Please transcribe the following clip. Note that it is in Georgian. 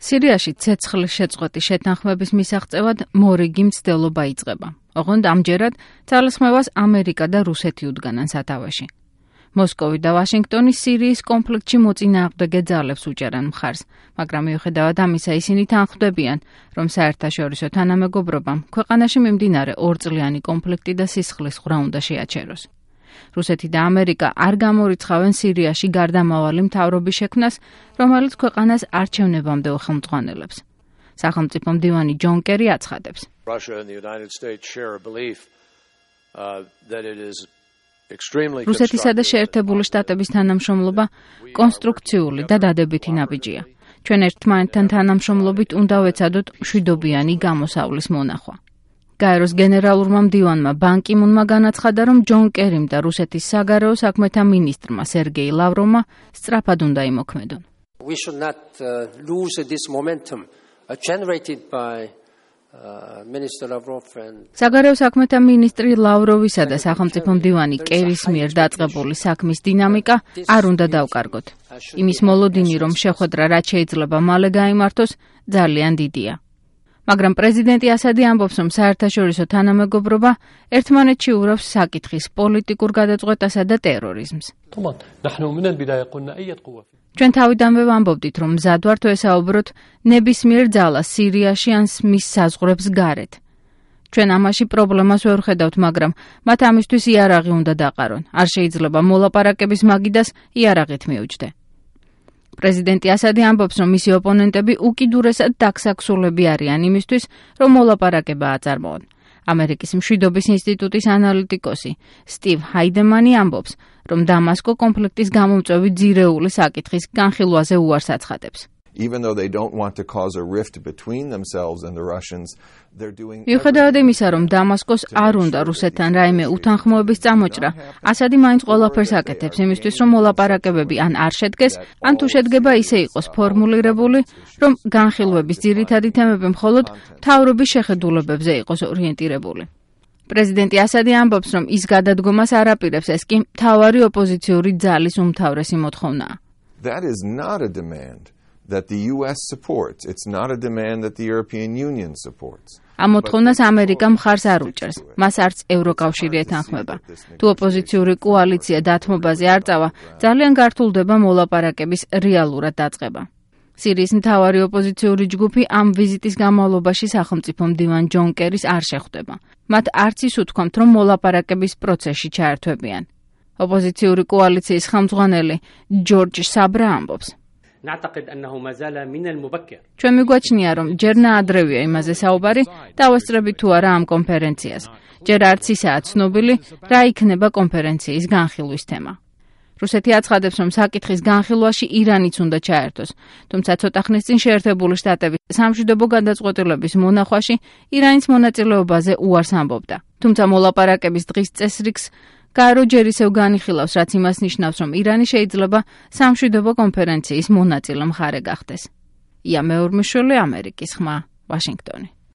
სირიაში ცეცხლის შეწყვეტის შეთანხმების მისაღწევად მორიგი მცდელობა იწყება. ოღონდ ამჯერად ძალისხმევას ამერიკა და რუსეთი უდგანან სათავეში. მოსკოვი და ვაშინგტონი სირიის კონფლიქტში მოწინააღმდეგე ძალებს უჭერან მხარს, მაგრამ მიუხედავად ამისა ისინი თანხმდებიან, რომ საერთაშორისო თანამეგობრობამ ქვეყანაში მიმდინარე ორწლიანი კონფლიქტი და სისხლის ღვრა უნდა შეაჩეროს. რუსეთი და ამერიკა არ გამორიცხავენ სირიაში გარდამავალი მთავრობის შექმნას, რომელიც ქვეყანას არჩევნებამდე უხელმძღვანელებს. სახელმწიფო მდივანი ჯონ კერი აცხადებს. რუსეთისა და შეერთებული შტატების თანამშრომლობა კონსტრუქციული და დადებითი ნაბიჯია. ჩვენ ერთმანეთთან თანამშრომლობით უნდა ვეცადოთ მშვიდობიანი გამოსავლის მონახვა. გაეროს გენერალურმა მდივანმა ბან კი მუნმა განაცხადა, რომ ჯონ კერიმ და რუსეთის საგარეო საქმეთა მინისტრმა სერგეი ლავროვმა სწრაფად უნდა იმოქმედონ. We should not lose this momentum generated by Minister Lavrov and საგარეო საქმეთა მინისტრი ლავროვისა და სახელმწიფო მდივანი კერის მიერ დაწყებული საქმის დინამიკა არ უნდა დავკარგოთ. იმის მოლოდინი, რომ შეხვედრა რაც შეიძლება მალე გაიმართოს, ძალიან დიდია. მაგრამ პრეზიდენტი ასადი ამბობს, რომ საერთაშორისო თანამეგობრობა ერთმანეთში ურევს საკითხის პოლიტიკურ გადაწყვეტასა და ტერორიზმს. ჩვენ თავიდანვე ვამბობდით, რომ მზად ვართ ვესაუბროთ ნებისმიერ ძალას სირიაში ან მის საზღვრებს გარეთ. ჩვენ ამაში პრობლემას ვერ ხედავთ, მაგრამ მათ ამისთვის იარაღი უნდა დაყარონ. არ შეიძლება მოლაპარაკების მაგიდას იარაღით მიუჯდე. პრეზიდენტი ასადი ამბობს, რომ მისი ოპონენტები უკიდურესად დაქსაქსულები არიან იმისთვის, რომ მოლაპარაკება აწარმოონ. ამერიკის მშვიდობის ინსტიტუტის ანალიტიკოსი სტივ ჰაიდემანი ამბობს, რომ დამასკო კონფლიქტის გამომწვევი ძირეული საკითხის განხილვაზე უარს აცხადებს. Even though they don't want to cause a rift between themselves and the Russians, they're doing მიუხედავად იმისა, რომ დამასკოს არ უნდა რუსეთთან რაიმე უთანხმოების წამოჭრა, ასადი მაინც ყველაფერს აკეთებს იმისთვის, რომ მოლაპარაკებები ან არ შედგეს, ან თუ შედგება ისე იყოს ფორმულირებული, რომ განხილვების ძირითადი თემები მხოლოდ მთავრობის შეხედულებებზე იყოს ორიენტირებული. პრეზიდენტი ასადი ამბობს, რომ ის გადადგომას არ აპირებს, ეს კი მთავარი ოპოზიციური ძალის უმთავრესი მოთხოვნაა. That is not a demand that the US supports. It's not a demand that the European Union supports. ამ მოთხოვნას ამერიკა მხარს არ უჭერს. მას არც ევროკავშირი ეთანხმება. თუ ოპოზიციური კოალიცია დათმობაზე არ წავა, ძალიან გართულდება მოლაპარაკების რეალურად დაწყება. სირიის მთავარი ოპოზიციური ჯგუფი ამ ვიზიტის განმავლობაში სახელმწიფო მდივან ჯონ კერის არ შეხვდება. მათ არც ის უთქვამთ, რომ მოლაპარაკების პროცესში ჩაერთვებიან. ოპოზიციური კოალიციის ხელმძღვანელი ჯორჯ საბრა ამბობს. ჩვენ მიგვაჩნია, რომ ჯერ ნაადრევია იმაზე საუბარი, დავესწრებით თუ არა ამ კონფერენციას. ჯერ არც ისაა ცნობილი, რა იქნება კონფერენციის განხილვის თემა. რუსეთი აცხადებს, რომ საკითხის განხილვაში ირანიც უნდა ჩაერთოს, თუმცა ცოტა ხნის წინ შეერთებული შტატების სამშვიდობო გადაწყვეტილების მონახვაში ირანის მონაწილეობაზე უარს ამბობდა. თუმცა მოლაპარაკების დღის წესრიგს გაერო ჯერ ისევ განიხილავს, რაც იმას ნიშნავს, რომ ირანი შეიძლება სამშვიდობო კონფერენციის მონაწილე მხარე გახდეს. ია მეორმიშვილი, ამერიკის ხმა, ვაშინგტონი.